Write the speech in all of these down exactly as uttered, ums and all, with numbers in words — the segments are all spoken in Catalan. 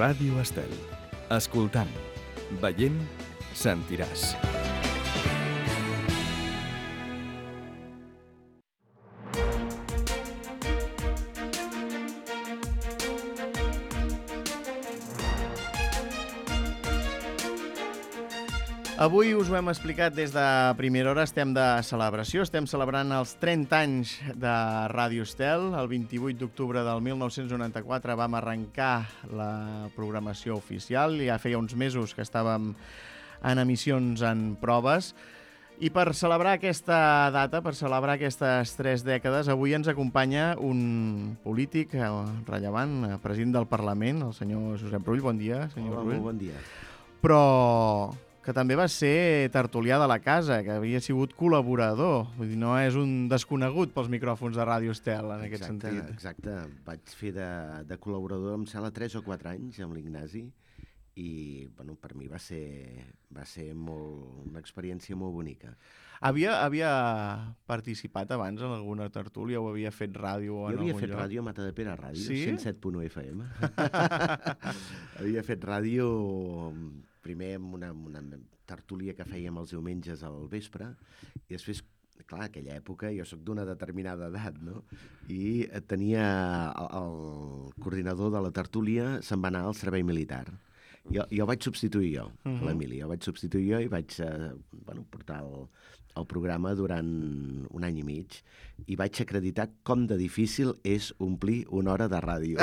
Ràdio Estel. Escoltant, veient, sentiràs. Avui us ho hem explicat des de primera hora, estem de celebració, estem celebrant els trenta anys de Ràdio Estel. El vint-i-vuit d'octubre del mil nou-cents noranta-quatre vam arrencar la programació oficial, ja feia uns mesos que estàvem en emissions en proves. I per celebrar aquesta data, per celebrar aquestes tres dècades, avui ens acompanya un polític rellevant, president del Parlament, el senyor Josep Rull. Bon dia, senyor Hola, Rull. molt bon dia. Però que també va ser tertulià de la casa, que havia sigut col·laborador. Vull dir, no és un desconegut pels micròfons de Ràdio Estel, en aquest Exacte, sentit. exacte. Vaig fer de, de col·laborador, em sembla, tres o quatre anys amb l'Ignasi i, bueno, per mi va ser, va ser molt, una experiència molt bonica. Havia, havia participat abans en alguna tertúlia o havia fet ràdio en Jo havia algun fet lloc? ràdio a Matadepera Ràdio, Sí? cent set punt u F M. Havia fet ràdio primer amb una, una tertúlia que fèiem els diumenges al vespre i després, clar, aquella època jo sóc d'una determinada edat, no? I tenia el, el coordinador de la tertúlia, se'n va anar al servei militar. Jo, jo vaig substituir jo, uh -huh. l'Emili, jo vaig substituir jo i vaig eh, bueno, portar el, el programa durant un any i mig i vaig acreditar com de difícil és omplir una hora de ràdio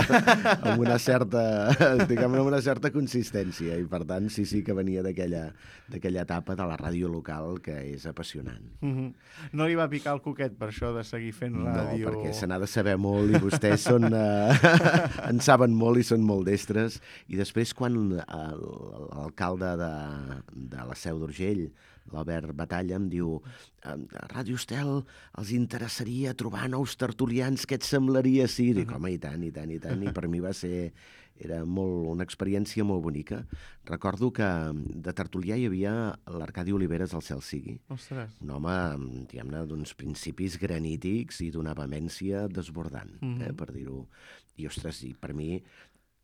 amb una certa, diguem, amb una certa consistència i per tant sí, sí que venia d'aquella d'aquella etapa de la ràdio local que és apassionant. Uh -huh. No li va picar el coquet per això de seguir fent ràdio? No, perquè se n'ha de saber molt i vostès són, eh, en saben molt i són molt destres i després quan l'alcalde de, de la Seu d'Urgell, l'Albert Batalla, em diu a Ràdio Estel els interessaria trobar nous tertulians, què et semblaria? Sí, dic, home, i tant, i tant, i tant, i per mi va ser, era molt, una experiència molt bonica. Recordo que de tertulià hi havia l'Arcadi Oliveres, al cel sigui. Ostres. Un home, diguem-ne, d'uns principis granítics i d'una vehemència desbordant, Mm-hmm. eh, per dir-ho. I, ostres, i per mi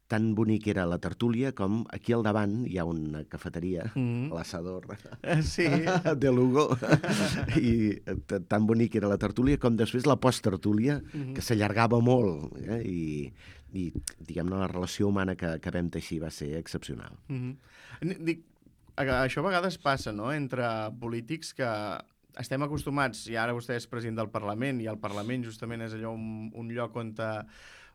tan bonic era la tertúlia com aquí al davant hi ha una cafeteria, Mm-hmm. l'Assador Sí. de Lugo, i tan bonic era la tertúlia com després la posttertúlia, Mm-hmm. que s'allargava molt, eh? I, i diguem-ne, la relació humana que, que vam teixir va ser excepcional. Mm-hmm. Dic, això a vegades passa, no?, entre polítics que estem acostumats, i ara vostè és president del Parlament, i el Parlament justament és allò un, un lloc on, te,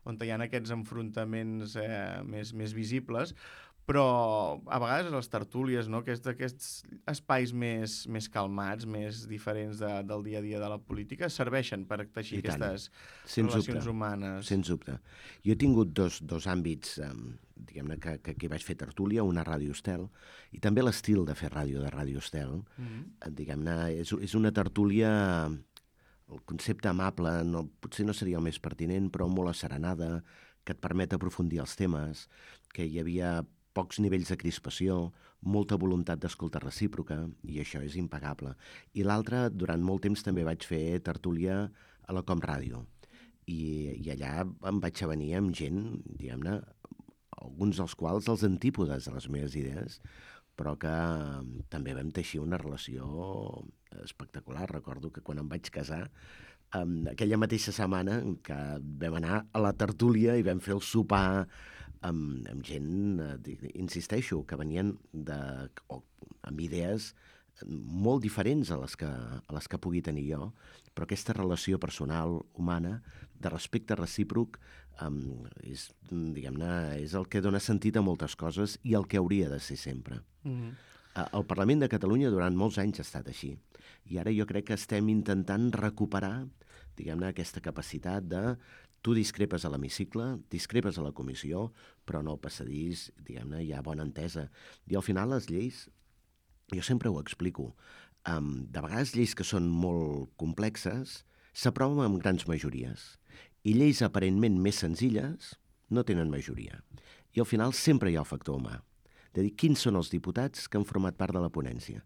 on te hi ha aquests enfrontaments eh, més, més visibles, però a vegades les tertúlies, no?, aquests, aquests espais més, més calmats, més diferents de, del dia a dia de la política, serveixen per teixir I tant. aquestes Sens relacions dubte. humanes. Sens dubte. Jo he tingut dos, dos àmbits, eh, diguem-ne, que, que, que vaig fer tertúlia, una Ràdio Estel, i també l'estil de fer ràdio de Ràdio Estel. Mm-hmm. Eh, diguem-ne, és, és una tertúlia, el concepte amable, no, potser no seria el més pertinent, però molt asserenada, que et permet aprofundir els temes, que hi havia pocs nivells de crispació, molta voluntat d'escolta recíproca, i això és impagable. I l'altre, durant molt temps també vaig fer tertúlia a la Com Ràdio, i, i allà em vaig avenir amb gent, diguem-ne, alguns dels quals els antípodes de les meves idees, però que eh, també vam teixir una relació espectacular. Recordo que quan em vaig casar, eh, aquella mateixa setmana que vam anar a la tertúlia i vam fer el sopar amb, amb gent, eh, insisteixo, que venien de, o, amb idees molt diferents a les, que, a les que pugui tenir jo, però aquesta relació personal, humana, de respecte recíproc, um, és, diguem-ne, és el que dona sentit a moltes coses i el que hauria de ser sempre. Mm-hmm. Uh, el Parlament de Catalunya durant molts anys ha estat així, i ara jo crec que estem intentant recuperar, diguem-ne, aquesta capacitat de tu discrepes a l'hemicicle, discrepes a la comissió, però no al passadís, diguem-ne, hi ha bona entesa. I al final les lleis, jo sempre ho explico, um, de vegades lleis que són molt complexes s'aproven amb grans majories i lleis aparentment més senzilles no tenen majoria. I al final sempre hi ha el factor humà, de dir quins són els diputats que han format part de la ponència.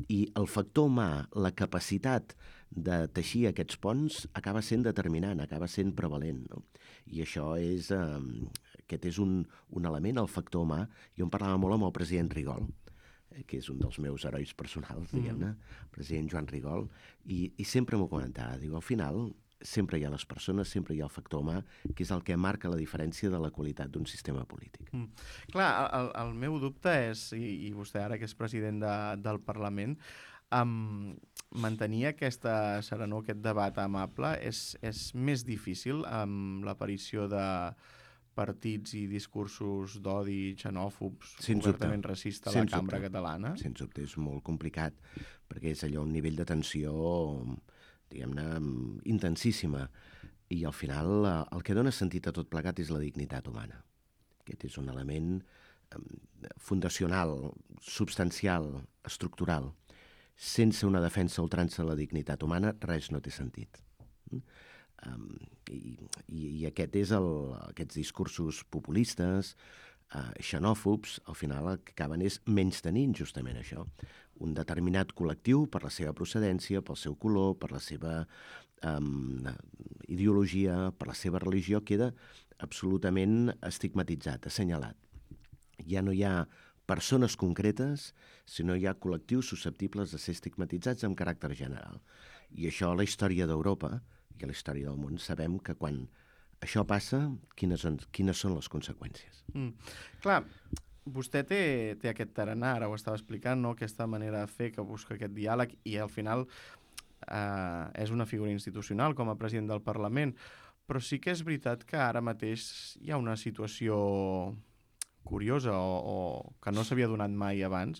I el factor humà, la capacitat de teixir aquests ponts acaba sent determinant, acaba sent prevalent, no? I això és, eh, aquest és un, un element, el factor humà. Jo en parlava molt amb el president Rigol, eh, que és un dels meus herois personals, diguem-ne, el president Joan Rigol, i, i sempre m'ho comentava. Diu, al final, sempre hi ha les persones, sempre hi ha el factor humà, que és el que marca la diferència de la qualitat d'un sistema polític. Mm. Clar, el, el meu dubte és, i, i vostè ara que és president de, del Parlament, um, mantenir aquesta serenor, aquest debat amable, és, és més difícil amb l'aparició de partits i discursos d'odi, xenòfobs, Sens obertament dubte. racista a la Sens cambra dubte. catalana? Sens dubte, és molt complicat, perquè és allò un nivell de tensió, diguem-ne, intensíssima. I al final eh, el que dona sentit a tot plegat és la dignitat humana. Aquest és un element eh, fundacional, substancial, estructural. Sense una defensa a ultrança de la dignitat humana, res no té sentit. Mm? Um, i, i, I aquest és el, aquests discursos populistes, uh, xenòfobs, al final el que acaben és menystenint justament això. Un determinat col·lectiu, per la seva procedència, pel seu color, per la seva um, ideologia, per la seva religió, queda absolutament estigmatitzat, assenyalat. Ja no hi ha persones concretes, sinó hi ha col·lectius susceptibles de ser estigmatitzats amb caràcter general. I això a la història d'Europa i a la història del món sabem que quan això passa, quines, són, quines són les conseqüències. Mm. Clar, vostè té, té aquest tarannà, ara ho estava explicant, no? Aquesta manera de fer que busca aquest diàleg i al final eh, és una figura institucional com a president del Parlament, però sí que és veritat que ara mateix hi ha una situació curiosa o, o que no s'havia donat mai abans,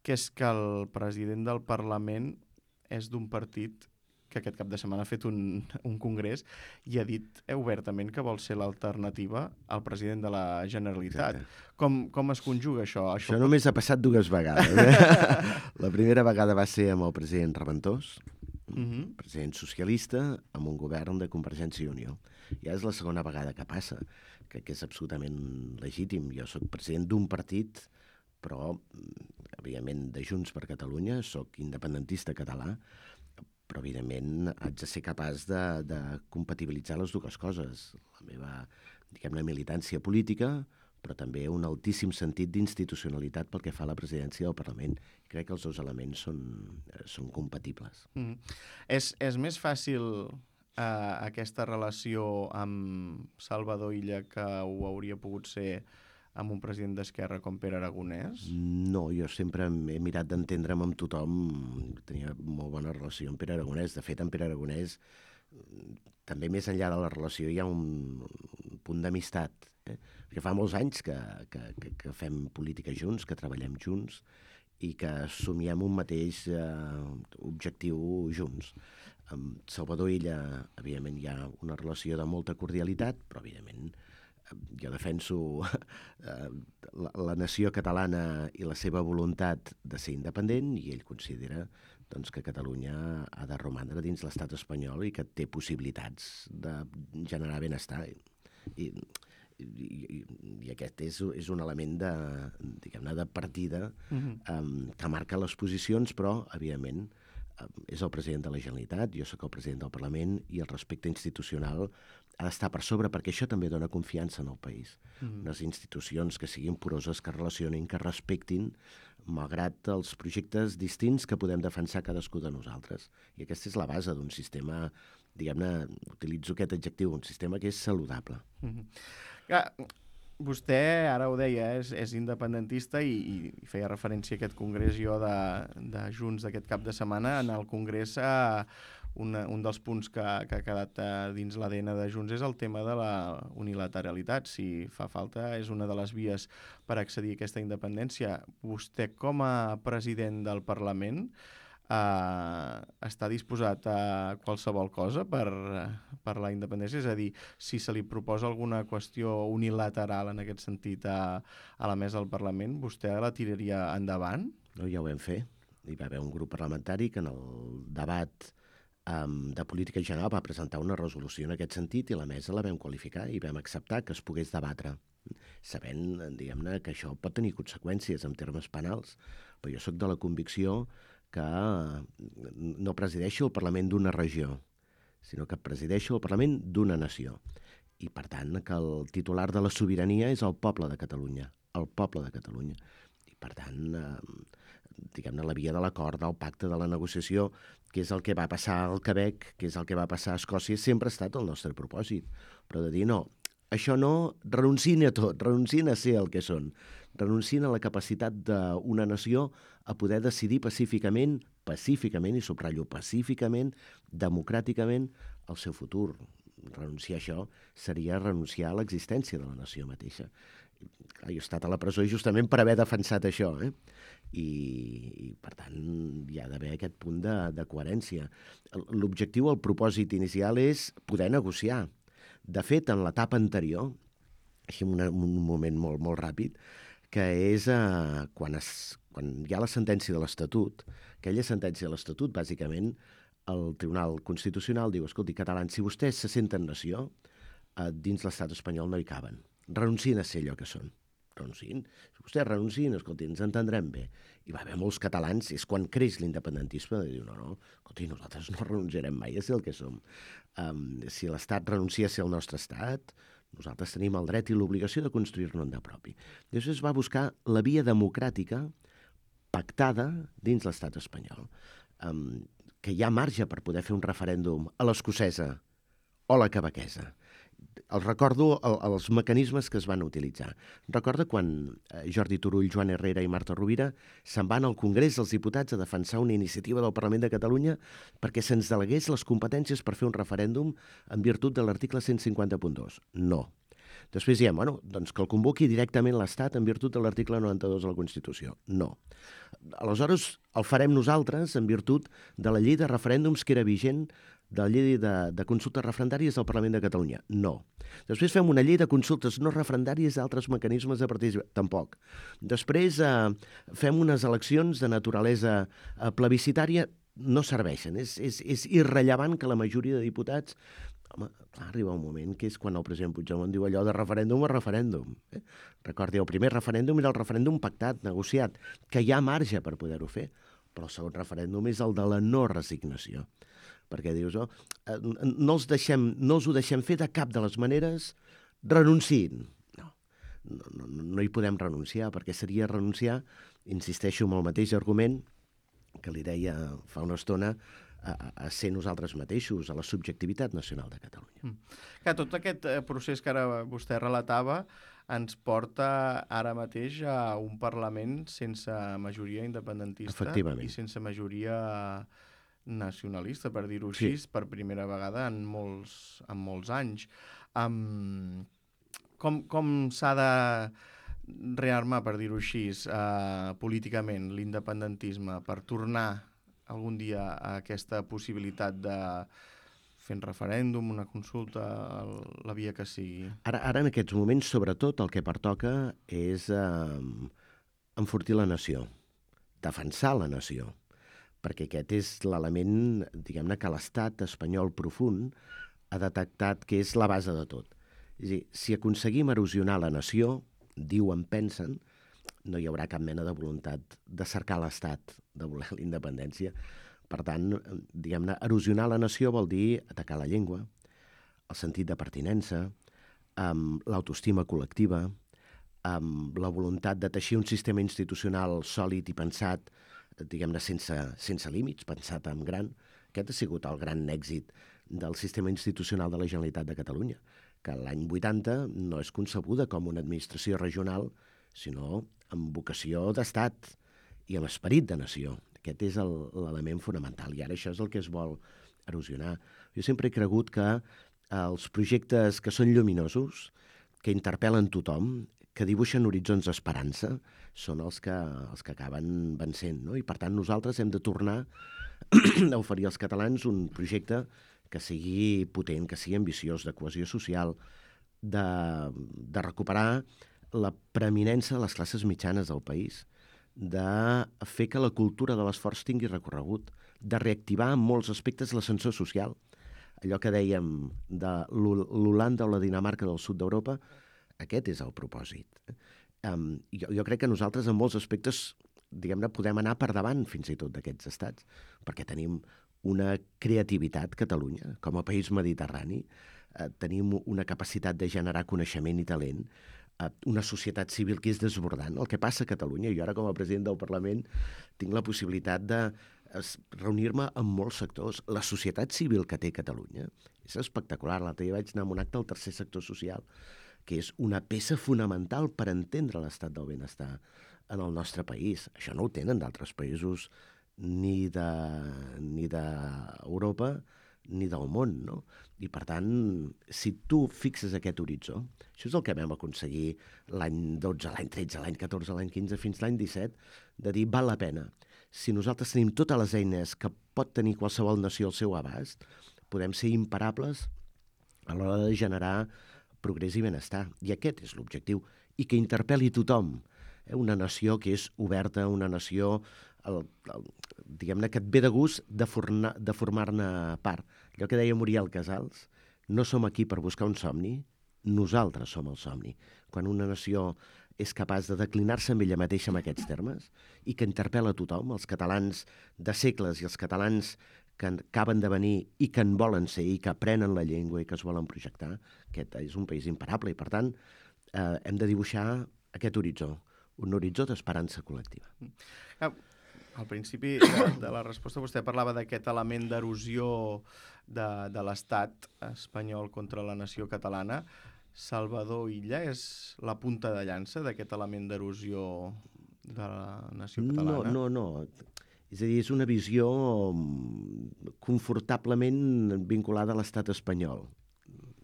que és que el president del Parlament és d'un partit que aquest cap de setmana ha fet un, un congrés i ha dit obertament que vol ser l'alternativa al president de la Generalitat. Com, com es conjuga això? Això, això només ha passat dues vegades. Eh? La primera vegada va ser amb el president Reventós, uh-huh. president socialista, amb un govern de Convergència i Unió. Ja és la segona vegada que passa, que, que és absolutament legítim. Jo soc president d'un partit, però, evidentment, de Junts per Catalunya, soc independentista català, però evidentment haig de ser capaç de, de compatibilitzar les dues coses. La meva, diguem-ne, militància política, però també un altíssim sentit d'institucionalitat pel que fa a la presidència del Parlament. Crec que els dos elements són, són compatibles. Mm. És, és més fàcil eh, aquesta relació amb Salvador Illa que ho hauria pogut ser amb un president d'Esquerra com Pere Aragonès? No, jo sempre he mirat d'entendre'm amb tothom. Tenia molt bona relació amb Pere Aragonès. De fet, amb Pere Aragonès, també més enllà de la relació, hi ha un, un punt d'amistat. Eh? Perquè fa molts anys que, que, que, que fem política junts, que treballem junts i que somiem un mateix eh, objectiu junts. Amb Salvador Illa, evidentment, hi ha una relació de molta cordialitat, però, evidentment, jo defenso eh, la, la nació catalana i la seva voluntat de ser independent i ell considera doncs, que Catalunya ha de romandre dins l'estat espanyol i que té possibilitats de generar benestar. I, i, i, i aquest és, és un element de, diguem-ne, de partida uh-huh. um, que marca les posicions, però, evidentment, és el president de la Generalitat, jo sóc el president del Parlament i el respecte institucional ha d'estar per sobre perquè això també dona confiança en el país. Mm. Unes institucions que siguin poroses, que relacionin, que respectin, malgrat els projectes distints que podem defensar cadascú de nosaltres. I aquesta és la base d'un sistema, diguem-ne, utilitzo aquest adjectiu, un sistema que és saludable. Mm-hmm. Ja, vostè, ara ho deia, és, és independentista i, i feia referència a aquest congrés jo de, de Junts d'aquest cap de setmana. En el congrés, eh, una, un dels punts que, que ha quedat eh, dins l'A D N de Junts és el tema de la unilateralitat. Si fa falta, és una de les vies per accedir a aquesta independència. Vostè, com a president del Parlament, Uh, està disposat a qualsevol cosa per, per la independència? És a dir, si se li proposa alguna qüestió unilateral en aquest sentit a, a la mesa del Parlament, vostè la tiraria endavant? No, ja ho vam fer. Hi va haver un grup parlamentari que en el debat um, de política general va presentar una resolució en aquest sentit i la mesa la vam qualificar i vam acceptar que es pogués debatre, sabent, diguem-ne, que això pot tenir conseqüències en termes penals, però jo sóc de la convicció que no presideixo el Parlament d'una regió, sinó que presideixo el Parlament d'una nació. i per tant que el titular de la sobirania és el poble de Catalunya, el poble de Catalunya. I per tant, eh, diguem-ne, la via de l'acord, del pacte, de la negociació, que és el que va passar al Quebec, que és el que va passar a Escòcia, sempre ha estat el nostre propòsit. Però de dir, no, això no, renuncien a tot, renuncien a ser el que són, renuncien a la capacitat d'una nació a poder decidir pacíficament, pacíficament, i subratllo, pacíficament, democràticament, el seu futur. Renunciar a això seria renunciar a l'existència de la nació mateixa. Clar, jo he estat a la presó justament per haver defensat això, eh? I, i per tant hi ha d'haver aquest punt de, de coherència. L'objectiu, el propòsit inicial és poder negociar. De fet, en l'etapa anterior, així en un moment molt, molt ràpid, que és eh, quan, es, quan hi ha la sentència de l'Estatut, aquella sentència de l'Estatut, bàsicament, el Tribunal Constitucional diu, escolti, catalans, si vostès se senten nació, eh, dins l'estat espanyol no hi caben. Renuncien a ser allò que són. Renuncien. Si vostès renuncien, escolti, ens entendrem bé. Hi va haver molts catalans, és quan creix l'independentisme, de dir, no, no, escolti, nosaltres no renunciarem mai a ser el que som. Um, si l'Estat renuncia a ser el nostre estat, nosaltres tenim el dret i l'obligació de construir-ne un de propi. Llavors es va buscar la via democràtica pactada dins l'estat espanyol. Um, que hi ha marge per poder fer un referèndum a l'escocesa o la quebequesa. Els recordo el, els mecanismes que es van utilitzar. Recorda quan Jordi Turull, Joan Herrera i Marta Rovira se'n van al Congrés dels Diputats a defensar una iniciativa del Parlament de Catalunya perquè se'ns delegués les competències per fer un referèndum en virtut de l'article cent cinquanta punt dos. No. Després diem, bueno, doncs que el convoqui directament l'Estat en virtut de l'article noranta-dos de la Constitució. No. Aleshores, el farem nosaltres en virtut de la llei de referèndums que era vigent, de la llei de, de consultes referendàries del Parlament de Catalunya. No. Després fem una llei de consultes no referendàries d'altres mecanismes de participació. Tampoc. Després eh, fem unes eleccions de naturalesa eh, plebiscitària. No serveixen. És, és, és irrellevant que la majoria de diputats... Home, clar, arriba un moment que és quan el president Puigdemont diu allò de referèndum a referèndum. Eh? Recordi, el primer referèndum era el referèndum pactat, negociat, que hi ha marge per poder-ho fer, però el segon referèndum és el de la no resignació. Perquè dius, oh, no, els deixem, no els ho deixem fer de cap de les maneres, renunciïn. No, no, no, no hi podem renunciar, perquè seria renunciar, insisteixo en el mateix argument que li deia fa una estona, a, a ser nosaltres mateixos, a la subjectivitat nacional de Catalunya. Mm. Que tot aquest procés que ara vostè relatava ens porta ara mateix a un Parlament sense majoria independentista i sense majoria nacionalista, per dir-ho així, sí. Per primera vegada en molts, en molts anys. Um, com com s'ha de rearmar, per dir-ho així, uh, políticament, l'independentisme, per tornar algun dia a aquesta possibilitat de fer un referèndum, una consulta, la via que sigui? Ara, ara en aquests moments, sobretot, el que pertoca és eh, enfortir la nació, defensar la nació, perquè aquest és l'element, diguem-ne, que l'estat espanyol profund ha detectat que és la base de tot. És a dir, si aconseguim erosionar la nació, diuen, pensen, no hi haurà cap mena de voluntat de cercar l'estat, de voler la independència. Per tant, diguem-ne, erosionar la nació vol dir atacar la llengua, el sentit de pertinença, amb l'autoestima col·lectiva, amb la voluntat de teixir un sistema institucional sòlid i pensat, diguem-ne, sense, sense límits, pensat en gran. Aquest ha sigut el gran èxit del sistema institucional de la Generalitat de Catalunya, que l'any vuitanta no és concebuda com una administració regional, sinó amb vocació d'estat i amb esperit de nació. Aquest és l'element fonamental, i ara això és el que es vol erosionar. Jo sempre he cregut que els projectes que són lluminosos, que interpel·len tothom, que dibuixen horitzons d'esperança, són els que, els que acaben vencent, no? I per tant nosaltres hem de tornar a oferir als catalans un projecte que sigui potent, que sigui ambiciós, de cohesió social, de, de recuperar la preeminència de les classes mitjanes del país, de fer que la cultura de l'esforç tingui recorregut, de reactivar en molts aspectes l'ascensor social. Allò que dèiem de l'Holanda o la Dinamarca del sud d'Europa, aquest és el propòsit. Um, jo, jo crec que nosaltres en molts aspectes, diguem-ne, podem anar per davant fins i tot d'aquests estats, perquè tenim una creativitat, Catalunya, com a país mediterrani, eh, tenim una capacitat de generar coneixement i talent, eh, una societat civil que és desbordant. El que passa a Catalunya, jo ara com a president del Parlament tinc la possibilitat de reunir-me amb molts sectors. La societat civil que té Catalunya és espectacular. L'altre dia vaig anar a un acte del tercer sector social, que és una peça fonamental per entendre l'estat del benestar en el nostre país. Això no ho tenen d'altres països ni de, ni d'Europa ni del món, no? I, per tant, si tu fixes aquest horitzó, això és el que vam aconseguir l'any dotze, l'any tretze, l'any catorze, l'any quinze, fins l'any disset, de dir, val la pena. Si nosaltres tenim totes les eines que pot tenir qualsevol nació al seu abast, podem ser imparables a l'hora de generar progrés i benestar. I aquest és l'objectiu. I que interpel·li tothom. Eh? Una nació que és oberta, una nació el, el, diguem-ne que et ve de gust de, forna, de formar-ne part. Allò que deia Muriel Casals, no som aquí per buscar un somni, nosaltres som el somni. Quan una nació és capaç de declinar-se amb ella mateixa en aquests termes i que interpel·la a tothom, els catalans de segles i els catalans que acaben de venir i que en volen ser i que aprenen la llengua i que es volen projectar, aquest és un país imparable i, per tant, eh, hem de dibuixar aquest horitzó, un horitzó d'esperança col·lectiva. Al principi de, de la resposta vostè parlava d'aquest element d'erosió de, de l'estat espanyol contra la nació catalana. Salvador Illa és la punta de llança d'aquest element d'erosió de la nació catalana? No, no, no. És a dir, és una visió confortablement vinculada a l'estat espanyol.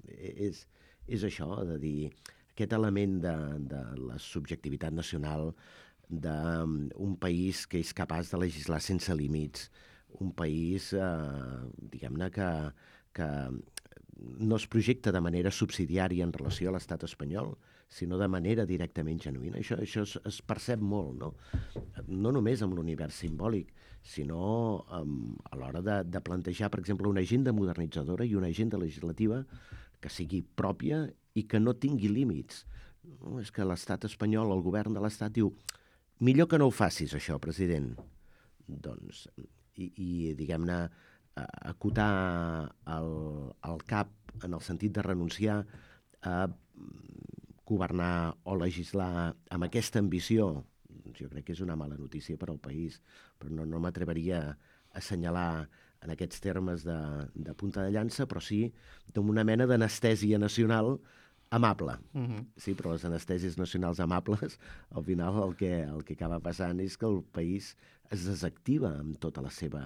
És, és això, de dir, aquest element de, de la subjectivitat nacional, d'un país que és capaç de legislar sense límits, un país, eh, diguem-ne, que, que no es projecta de manera subsidiària en relació a l'estat espanyol, sinó de manera directament genuïna. Això, això es, es percep molt, no? No només amb l'univers simbòlic, sinó um, a l'hora de, de plantejar, per exemple, una agenda modernitzadora i una agenda legislativa que sigui pròpia i que no tingui límits. No, és que l'estat espanyol, el govern de l'estat, diu millor que no ho facis, això, president. Doncs, i, i diguem-ne, acotar el, el cap en el sentit de renunciar a governar o legislar amb aquesta ambició, jo crec que és una mala notícia per al país, però no, no m'atreveria a assenyalar en aquests termes de, de punta de llança, però sí d'una mena d'anestèsia nacional amable. Uh-huh. Sí, però les anestèsies nacionals amables, al final el que, el que acaba passant és que el país es desactiva amb tota la seva,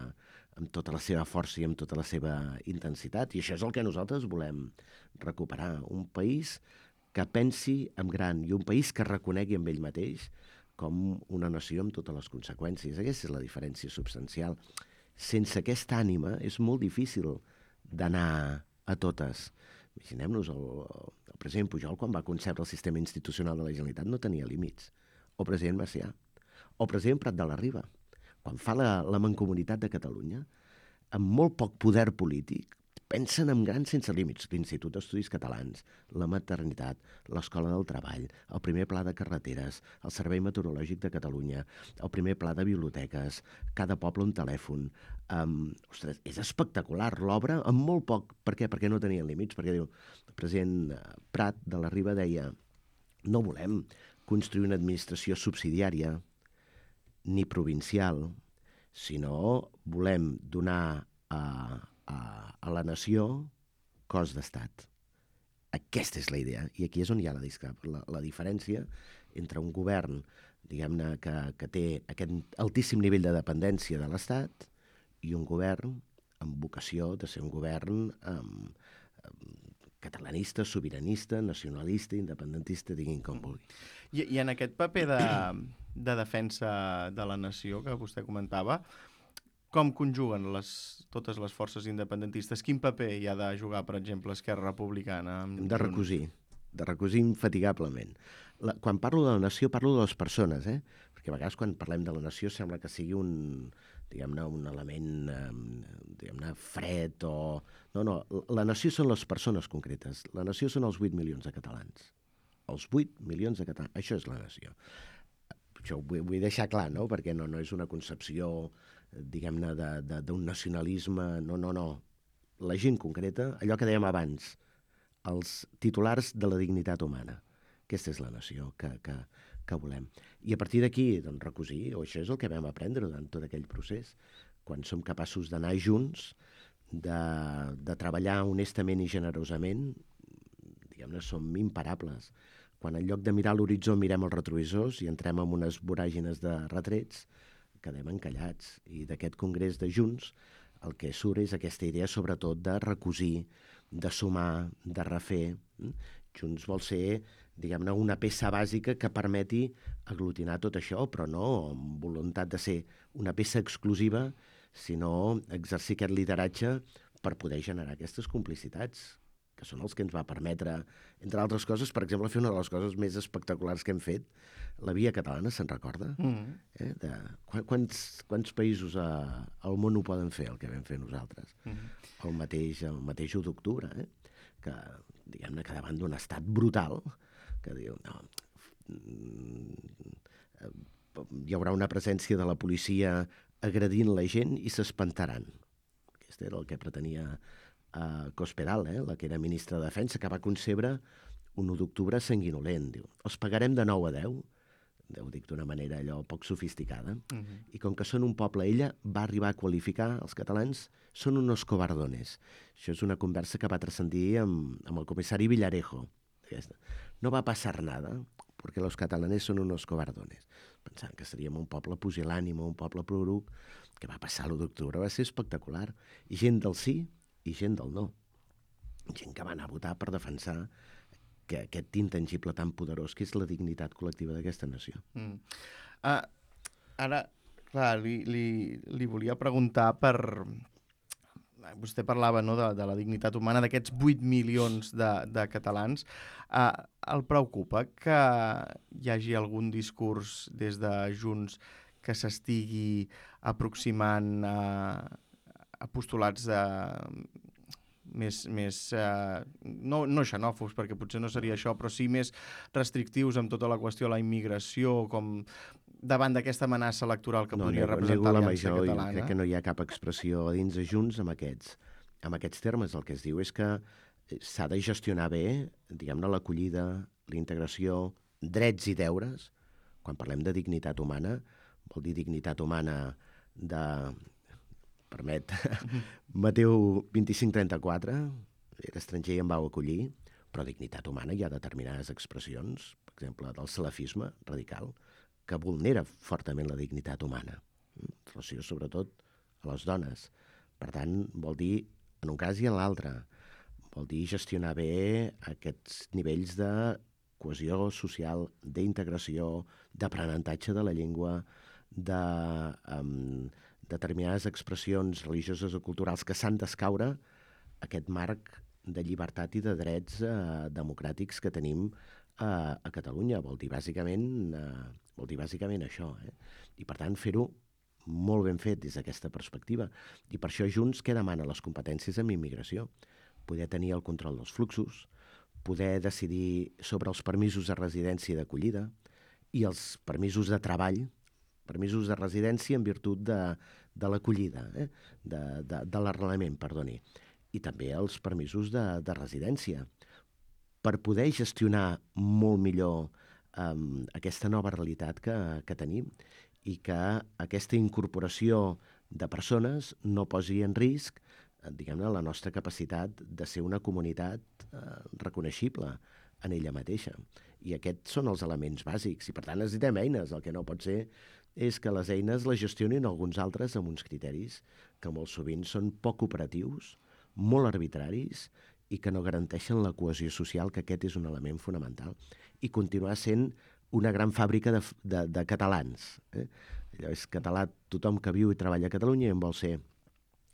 amb tota la seva força i amb tota la seva intensitat. I això és el que nosaltres volem recuperar. Un país que pensi en gran i un país que reconegui amb ell mateix com una nació amb totes les conseqüències. Aquesta és la diferència substancial. Sense aquesta ànima és molt difícil d'anar a totes. Imaginem-nos, el, el president Pujol, quan va concebre el sistema institucional de la Generalitat, no tenia límits. O el president Macià. O el president Prat de la Riba. Quan fa la, la Mancomunitat de Catalunya, amb molt poc poder polític, pensen en gran sense límits. L'Institut d'Estudis Catalans, la maternitat, l'Escola del Treball, el primer pla de carreteres, el Servei Meteorològic de Catalunya, el primer pla de biblioteques, cada poble un telèfon. Um, ostres, és espectacular l'obra amb molt poc. Per què? Perquè no tenien límits. Perquè diu, el president Prat de la Riba deia no volem construir una administració subsidiària ni provincial, sinó volem donar a, a, a la nació cos d'estat. Aquesta és la idea, i aquí és on hi ha la, la, la diferència entre un govern, diguem-ne, que, que té aquest altíssim nivell de dependència de l'Estat i un govern amb vocació de ser un govern um, um, catalanista, sobiranista, nacionalista, independentista, diguin com vulgui. I, i en aquest paper de, de defensa de la nació que vostè comentava, com conjuguen les, totes les forces independentistes? Quin paper hi ha de jugar, per exemple, Esquerra Republicana? Hem de recosir, de recosir infatigablement. La, quan parlo de la nació, parlo de les persones, eh? Perquè a vegades quan parlem de la nació sembla que sigui un, diguem-ne, un element eh, diguem-ne, fred o... No, no, la nació són les persones concretes. La nació són els vuit milions de catalans. Els vuit milions de catalans. Això és la nació. Això ho vull, vull deixar clar, no? Perquè no, no és una concepció, diguem-ne, d'un nacionalisme... No, no, no. La gent concreta, allò que dèiem abans, els titulars de la dignitat humana. Aquesta és la nació que, que, que volem. I a partir d'aquí, doncs, recosir, o això és el que vam aprendre durant tot aquell procés, quan som capaços d'anar junts, de, de treballar honestament i generosament, diguem-ne, som imparables. Quan en lloc de mirar l'horitzó mirem els retrovisors i entrem en unes voràgines de retrets, quedem encallats. I d'aquest congrés de Junts el que surt és aquesta idea sobretot de recosir, de sumar, de refer. Junts vol ser, diguem-ne, una peça bàsica que permeti aglutinar tot això, però no amb voluntat de ser una peça exclusiva, sinó exercir aquest lideratge per poder generar aquestes complicitats, que són els que ens va permetre, entre altres coses, per exemple, fer una de les coses més espectaculars que hem fet, la Via Catalana, se'n recorda? Mm. Eh? De, quants, quants països a, al món ho poden fer, el que vam fer nosaltres? Mm. El mateix, el mateix u d'octubre, eh? Que, diguem-ne, que davant d'un estat brutal, que diu, no, hi haurà una presència de la policia agredint la gent i s'espantaran. Aquest era el que pretenia uh, Cospedal, eh? La que era ministra de Defensa, que va concebre un u d'octubre sanguinolent. Diu, els pagarem de nou a deu, ho dic d'una manera allò poc sofisticada, uh-huh. I com que són un poble, ella va arribar a qualificar els catalans són unos cobardones. Això és una conversa que va transcendir amb, amb el comissari Villarejo. Aquesta. No va passar nada, perquè los catalanes són unos cobardones. Pensant que seríem un poble pusil·lànime, un poble prorruc, que va passar l'u d'octubre, va ser espectacular. I gent del sí i gent del no. Gent que va anar a votar per defensar que aquest intangible tan poderós que és la dignitat col·lectiva d'aquesta nació. Mm. Uh, ara, clar, li, li, li volia preguntar per... Vostè parlava, no, de, de la dignitat humana d'aquests vuit milions de, de catalans. Uh, el preocupa que hi hagi algun discurs des de Junts que s'estigui aproximant a, a postulats de... més, més eh, no, no xenòfobs, perquè potser no seria això, però sí més restrictius amb tota la qüestió de la immigració, com davant d'aquesta amenaça electoral que no, podria nego, representar nego l'Aliança Catalana. Crec que no hi ha cap expressió dins de Junts amb aquests, amb aquests termes. El que es diu és que s'ha de gestionar bé, diguem-ne, l'acollida, la integració, drets i deures. Quan parlem de dignitat humana, vol dir dignitat humana de... permet, Mateu vint-i-cinc trenta-quatre, era estranger i em vau acollir, però dignitat humana hi ha determinades expressions, per exemple, del salafisme radical, que vulnera fortament la dignitat humana, en relació sobretot a les dones. Per tant, vol dir, en un cas i en l'altre, vol dir gestionar bé aquests nivells de cohesió social, d'integració, d'aprenentatge de la llengua, de... Um, determinades expressions religioses o culturals que s'han d'escaure aquest marc de llibertat i de drets eh, democràtics que tenim eh, a Catalunya. Vol dir bàsicament, eh, vol dir bàsicament això. Eh? I per tant fer-ho molt ben fet des d'aquesta perspectiva. I per això Junts què demana les competències en immigració? Poder tenir el control dels fluxos, poder decidir sobre els permisos de residència i d'acollida i els permisos de treball, permisos de residència en virtut de, de l'acollida, eh? de, de, de l'arrelament, perdoni, i també els permisos de, de residència, per poder gestionar molt millor um, aquesta nova realitat que, que tenim i que aquesta incorporació de persones no posi en risc, diguem-ne, la nostra capacitat de ser una comunitat eh, reconeixible en ella mateixa. I aquests són els elements bàsics, i per tant necessitem eines. El que no pot ser és que les eines les gestionin alguns altres amb uns criteris que molt sovint són poc operatius, molt arbitraris i que no garanteixen la cohesió social, que aquest és un element fonamental. I continuar sent una gran fàbrica de, de, de catalans. Eh? Allò és català tothom que viu i treballa a Catalunya i en vol ser.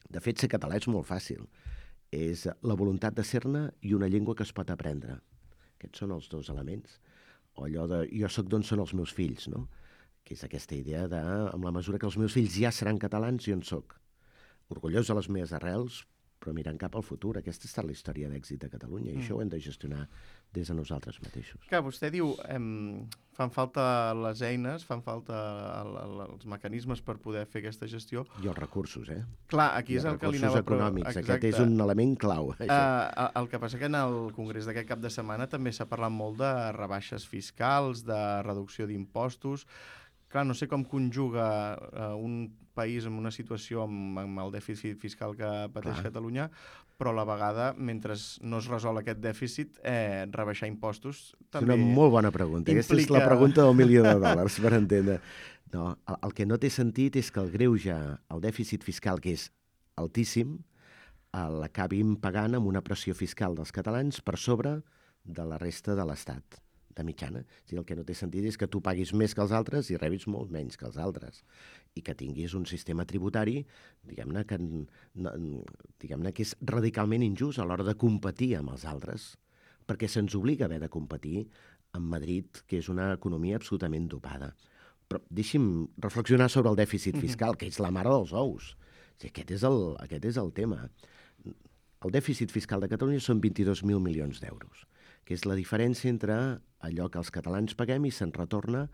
De fet, ser català és molt fàcil. És la voluntat de ser-ne i una llengua que es pot aprendre. Aquests són els dos elements. O allò de jo sóc d'on són els meus fills, no? Que és aquesta idea de, amb la mesura que els meus fills ja seran catalans, jo en soc. Orgullós de les meves arrels, però mirant cap al futur. Aquesta ha estat la història d'èxit de Catalunya, i mm. això ho hem de gestionar des de nosaltres mateixos. Clar, vostè diu, em, fan falta les eines, fan falta el, el, els mecanismes per poder fer aquesta gestió. I els recursos, eh? Clar, aquí I és el que li recursos anava... econòmics, Exacte. aquest és un element clau. Uh, el que passa que en el congrés d'aquest cap de setmana també s'ha parlat molt de rebaixes fiscals, de reducció d'impostos. Clar, no sé com conjuga uh, un país en una situació amb, amb el dèficit fiscal que pateix Clar. Catalunya, però a la vegada, mentre no es resol aquest dèficit, eh, rebaixar impostos també... És una molt bona pregunta. Implica... Aquesta és la pregunta del milió de dòlars, per entendre. No, el, el que no té sentit és que el greuge, el dèficit fiscal, que és altíssim, l'acabim pagant amb una pressió fiscal dels catalans per sobre de la resta de l'Estat, de mitjana. O sigui, el que no té sentit és que tu paguis més que els altres i rebis molt menys que els altres, i que tinguis un sistema tributari, diguem-ne, que, no, diguem-ne que és radicalment injust a l'hora de competir amb els altres, perquè se'ns obliga a haver de competir amb Madrid, que és una economia absolutament dopada. Però deixi'm reflexionar sobre el dèficit fiscal, que és la mare dels ous. O sigui, aquest és el, aquest és el tema. El dèficit fiscal de Catalunya són vint-i-dos mil milions d'euros, que és la diferència entre allò que els catalans paguem i se'n retorna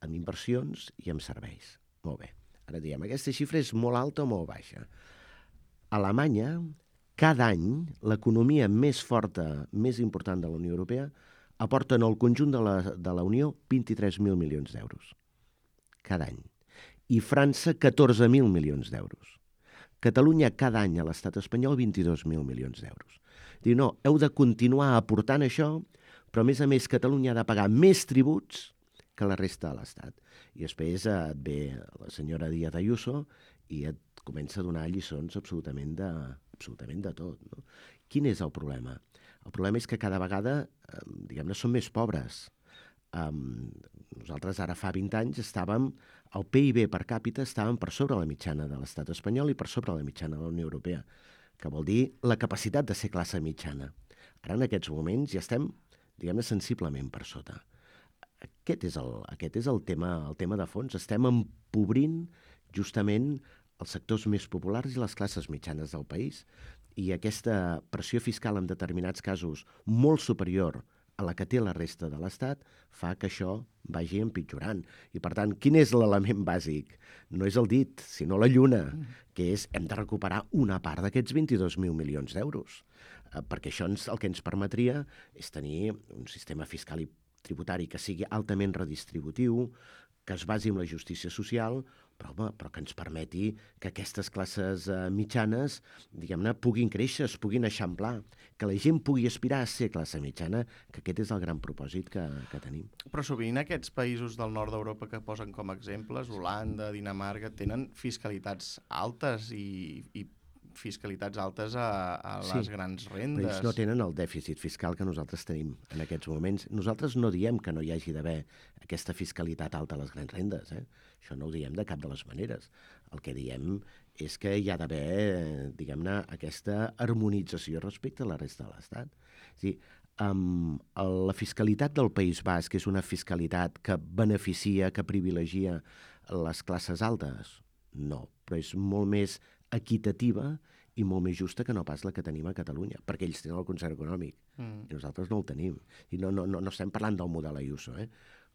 en inversions i en serveis. Molt bé. Ara diem, aquesta xifra és molt alta o molt baixa. A Alemanya, cada any, l'economia més forta, més important de la Unió Europea, aporta en el conjunt de la, de la Unió vint-i-tres mil milions d'euros. Cada any. I França, catorze mil milions d'euros. Catalunya cada any a l'estat espanyol vint-i-dos mil milions d'euros. Diu, no, heu de continuar aportant això, però a més a més Catalunya ha de pagar més tributs que la resta de l'Estat. I després et ve la senyora Díaz Ayuso i et comença a donar lliçons absolutament de, absolutament de tot. No? Quin és el problema? El problema és que cada vegada, eh, diguem-ne, som més pobres. Um, nosaltres ara fa vint anys estàvem, el P I B per càpita estàvem per sobre la mitjana de l'estat espanyol i per sobre la mitjana de la Unió Europea, que vol dir la capacitat de ser classe mitjana. Ara en aquests moments ja estem, diguem-ne, sensiblement per sota. Aquest és el, aquest és el tema, el tema de fons. Estem empobrint justament els sectors més populars i les classes mitjanes del país, i aquesta pressió fiscal en determinats casos molt superior a la que té la resta de l'Estat fa que això vagi empitjorant. I, per tant, quin és l'element bàsic? No és el dit, sinó la lluna, que és hem de recuperar una part d'aquests vint-i-dos mil milions d'euros, eh, perquè això ens, el que ens permetria és tenir un sistema fiscal i tributari que sigui altament redistributiu, que es basi en la justícia social, però, home, però que ens permeti que aquestes classes eh, mitjanes, diguem-ne, puguin créixer, es puguin eixamplar, que la gent pugui aspirar a ser classe mitjana, que aquest és el gran propòsit que, que tenim. Però sovint aquests països del nord d'Europa que posen com a exemples, Holanda, Dinamarca, tenen fiscalitats altes i, i fiscalitats altes a, a les sí, grans rendes. Però ells no tenen el dèficit fiscal que nosaltres tenim en aquests moments. Nosaltres no diem que no hi hagi d'haver aquesta fiscalitat alta a les grans rendes, eh? Això no ho diem de cap de les maneres. El que diem és que hi ha d'haver, diguem-ne, aquesta harmonització respecte a la resta de l'Estat. És a dir, um, la fiscalitat del País Basc és una fiscalitat que beneficia, que privilegia les classes altes? No, però és molt més equitativa i molt més justa que no pas la que tenim a Catalunya, perquè ells tenen el concert econòmic mm. i nosaltres no el tenim. I no, no, no, no estem parlant del model Ayuso, eh?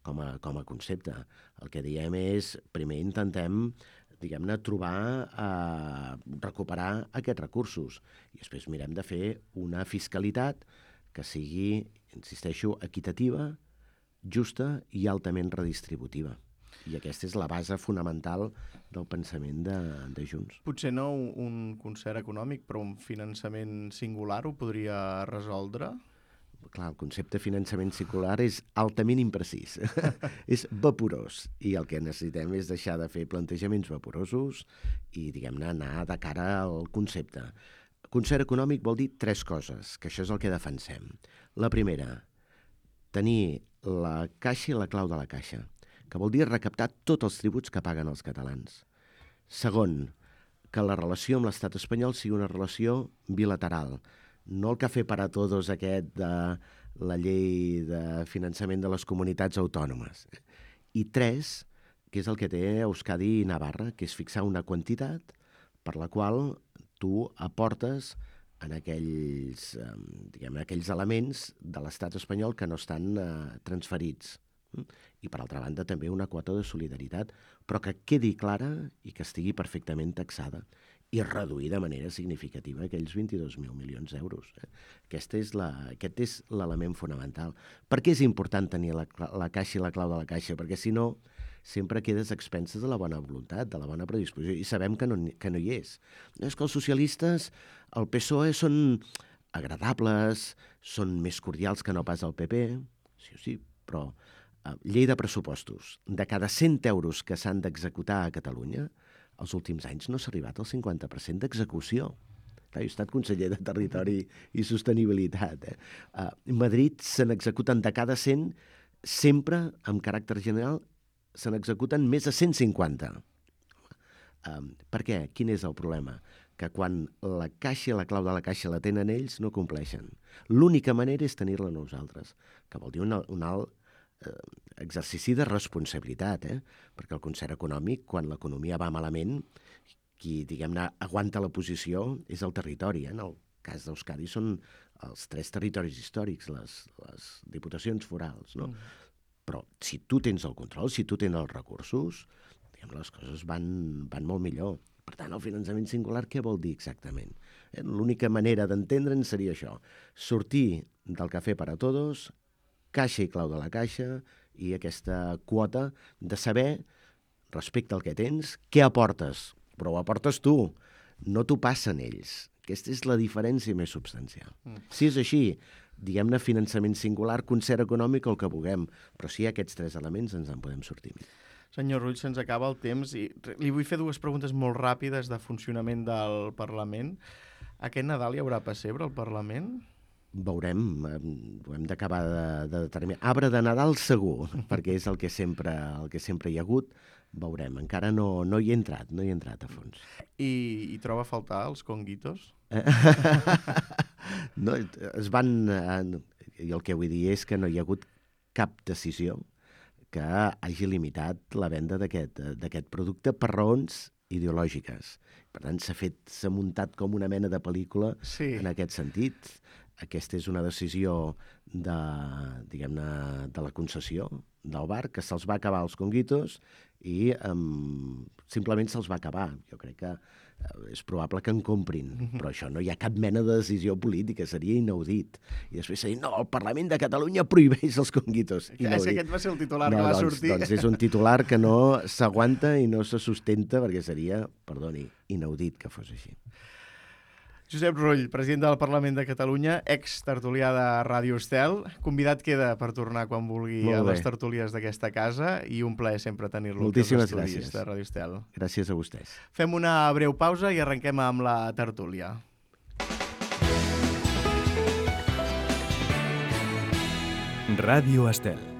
com, a, com a concepte. El que diem és, primer intentem, diguem-ne, trobar, eh, recuperar aquests recursos i després mirem de fer una fiscalitat que sigui, insisteixo, equitativa, justa i altament redistributiva. I aquesta és la base fonamental del pensament de, de Junts. Potser no un concert econòmic, però un finançament singular ho podria resoldre? Clar, el concepte de finançament singular és altament imprecís. És vaporós. I el que necessitem és deixar de fer plantejaments vaporosos i, diguem-ne, anar de cara al concepte. Concert econòmic vol dir tres coses, que això és el que defensem. La primera, tenir la caixa i la clau de la caixa, que vol dir recaptar tots els tributs que paguen els catalans. Segon, que la relació amb l'estat espanyol sigui una relació bilateral, no el café para todos aquest de la llei de finançament de les comunitats autònomes. I tres, que és el que té Euskadi i Navarra, que és fixar una quantitat per la qual tu aportes en aquells, eh, diguem, aquells elements de l'estat espanyol que no estan eh, transferits. I, per altra banda, també una quota de solidaritat, però que quedi clara i que estigui perfectament taxada i reduir de manera significativa aquells vint-i-dos mil milions d'euros. Eh? Aquest és la, aquest és l'element fonamental. Per què és important tenir la, la caixa i la clau de la caixa? Perquè, si no, sempre quedes a expenses de la bona voluntat, de la bona predisposició, i sabem que no, que no hi és. És que els socialistes, el P S O E, són agradables, són més cordials que no pas el P P, sí o sí, però eh, llei de pressupostos. De cada cent euros que s'han d'executar a Catalunya, els últims anys no s'ha arribat al cinquanta per cent d'execució. Clar, jo he estat conseller de Territori i Sostenibilitat. Eh? A Madrid se n'executen de cada cent, sempre, amb caràcter general, se n'executen més de cent cinquanta. Um, per què? Quin és el problema? Que quan la caixa i la clau de la caixa la tenen ells, no compleixen. L'única manera és tenir-la nosaltres, que vol dir un, un alt eh, exercici de responsabilitat, eh? Perquè el concert econòmic, quan l'economia va malament, qui, diguem-ne, aguanta la posició és el territori. Eh? En el cas d'Euskadi són els tres territoris històrics, les, les diputacions forals, no? Mm. Però si tu tens el control, si tu tens els recursos, diguem, les coses van, van molt millor. Per tant, el finançament singular què vol dir exactament? Eh? L'única manera d'entendre'n seria això, sortir del cafè per a tots, caixa i clau de la caixa, i aquesta quota de saber, respecte al que tens, què aportes. Però ho aportes tu, no t'ho passen ells. Aquesta és la diferència més substancial. Mm. Si és així, diguem-ne finançament singular, concert econòmic o el que vulguem, però si hi ha aquests tres elements ens en podem sortir. Senyor Rull, se'ns acaba el temps i li vull fer dues preguntes molt ràpides de funcionament del Parlament. Aquest Nadal hi haurà pessebre al Parlament? Veurem, ho hem d'acabar de, de determinar. Arbre de Nadal segur, perquè és el que sempre, el que sempre hi ha hagut. Veurem, encara no, no hi he entrat, no hi he entrat a fons. I, i troba a faltar els conguitos? No, es van... I el que vull dir és que no hi ha hagut cap decisió que hagi limitat la venda d'aquest producte per raons ideològiques. Per tant, s'ha fet, s'ha muntat com una mena de pel·lícula sí. En aquest sentit. Aquesta és una decisió de, diguem-ne, de la concessió del bar, que se'ls va acabar els conguitos i um, simplement se'ls va acabar. Jo crec que uh, és probable que en comprin, però això no hi ha cap mena de decisió política, seria inaudit. I després s'ha dit, no, el Parlament de Catalunya prohibeix els conguitos. Ja, si aquest va ser el titular no, que va doncs, sortir. Doncs és un titular que no s'aguanta i no se sustenta, perquè seria, perdoni, inaudit que fos així. Josep Rull, president del Parlament de Catalunya, ex-tertulià de Ràdio Estel. Convidat queda per tornar quan vulgui a les tertúlies d'aquesta casa i un plaer sempre tenir-lo. Moltíssimes gràcies. De Ràdio Estel. Gràcies a vostès. Fem una breu pausa i arrenquem amb la tertúlia. Ràdio Estel.